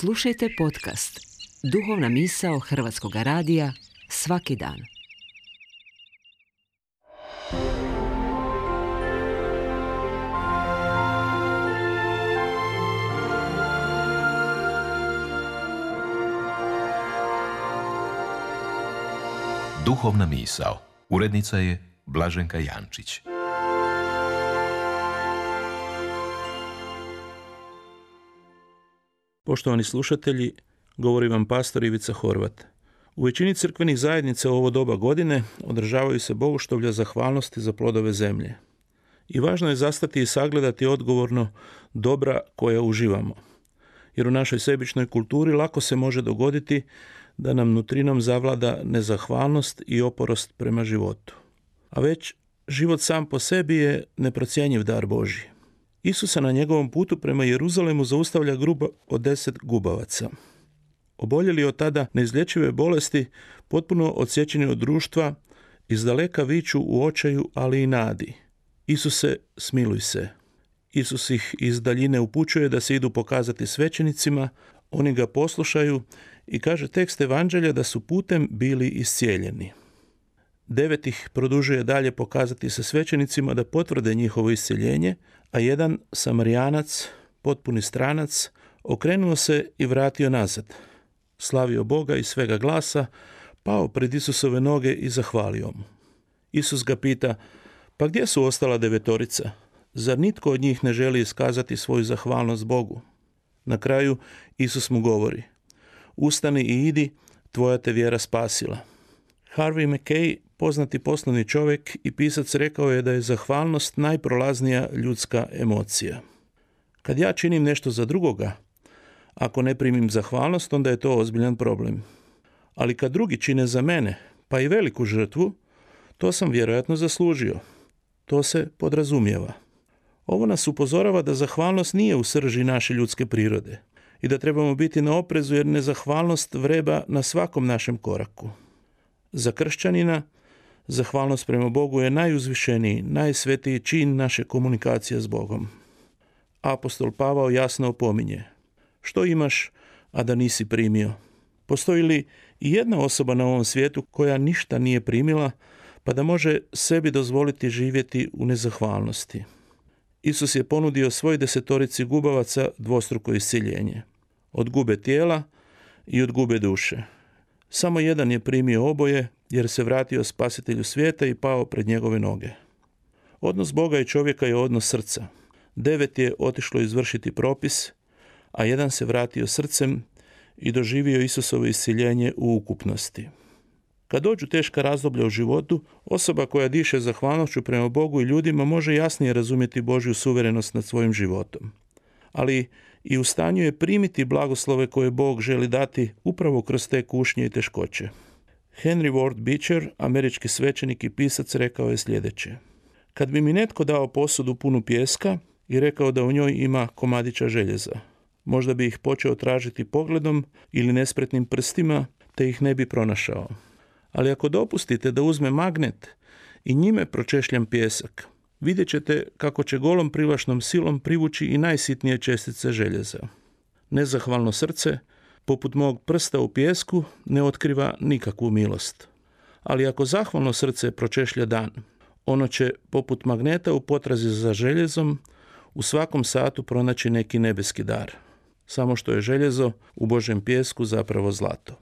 Slušajte podcast Duhovna misao Hrvatskog radija svaki dan. Duhovna misao. Urednica je Blaženka Jančić. Poštovani slušatelji, govori vam pastor Ivica Horvat. U većini crkvenih zajednica u ovo doba godine održavaju se bogoštovlja zahvalnosti za plodove zemlje. I važno je zastati i sagledati odgovorno dobra koja uživamo. Jer u našoj sebičnoj kulturi lako se može dogoditi da nam nutrinom zavlada nezahvalnost i oporost prema životu. A već život sam po sebi je neprocjenjiv dar Božji. Isusa na njegovom putu prema Jeruzalemu zaustavlja grupa od 10 gubavaca. Oboljeli od tada neizlječive bolesti, potpuno odsječeni od društva, izdaleka viču u očaju, ali i nadi. Isuse, smiluj se. Isus ih iz daljine upućuje da se idu pokazati svećenicima, oni ga poslušaju i kaže tekst evanđelja da su putem bili iscijeljeni. 9 ih produžuje dalje pokazati se svećenicima da potvrde njihovo isceljenje, a jedan Samarijanac, potpuni stranac, okrenuo se i vratio nazad. Slavio Boga iz svega glasa, pao pred Isusove noge i zahvalio mu. Isus ga pita, pa gdje su ostala 9? Zar nitko od njih ne želi iskazati svoju zahvalnost Bogu? Na kraju Isus mu govori, ustani i idi, tvoja te vjera spasila. Harvey Mackay, poznati poslovni čovjek i pisac, rekao je da je zahvalnost najprolaznija ljudska emocija. Kad ja činim nešto za drugoga, ako ne primim zahvalnost, onda je to ozbiljan problem. Ali kad drugi čine za mene, pa i veliku žrtvu, to sam vjerojatno zaslužio. To se podrazumijeva. Ovo nas upozorava da zahvalnost nije u srži naše ljudske prirode i da trebamo biti na oprezu jer nezahvalnost vreba na svakom našem koraku. Za kršćanina zahvalnost prema Bogu je najuzvišeniji, najsvetiji čin naše komunikacije s Bogom. Apostol Pavao jasno opominje, što imaš, a da nisi primio? Postoji li i jedna osoba na ovom svijetu koja ništa nije primila, pa da može sebi dozvoliti živjeti u nezahvalnosti? Isus je ponudio svoj 10 gubavaca dvostruko iscjeljenje. Od gube tijela i od gube duše. Samo jedan je primio oboje jer se vratio spasitelju svijeta i pao pred njegove noge. Odnos Boga i čovjeka je odnos srca. 9 je otišlo izvršiti propis, a jedan se vratio srcem i doživio Isusovo iscjeljenje u ukupnosti. Kad dođu teška razdoblja u životu, osoba koja diše zahvalnošću prema Bogu i ljudima može jasnije razumjeti Božju suverenost nad svojim životom. Ali i u stanju je primiti blagoslove koje Bog želi dati upravo kroz te kušnje i teškoće. Henry Ward Beecher, američki svećenik i pisac, rekao je sljedeće. Kad bi mi netko dao posudu punu pijeska i rekao da u njoj ima komadića željeza, možda bi ih počeo tražiti pogledom ili nespretnim prstima, te ih ne bi pronašao. Ali ako dopustite da uzme magnet i njime pročešljam pijesak, vidjet ćete kako će golom privlačnom silom privući i najsitnije čestice željeza. Nezahvalno srce, poput mog prsta u pijesku, ne otkriva nikakvu milost. Ali ako zahvalno srce pročešlja dan, ono će, poput magneta u potrazi za željezom, u svakom satu pronaći neki nebeski dar. Samo što je željezo u Božjem pijesku zapravo zlato.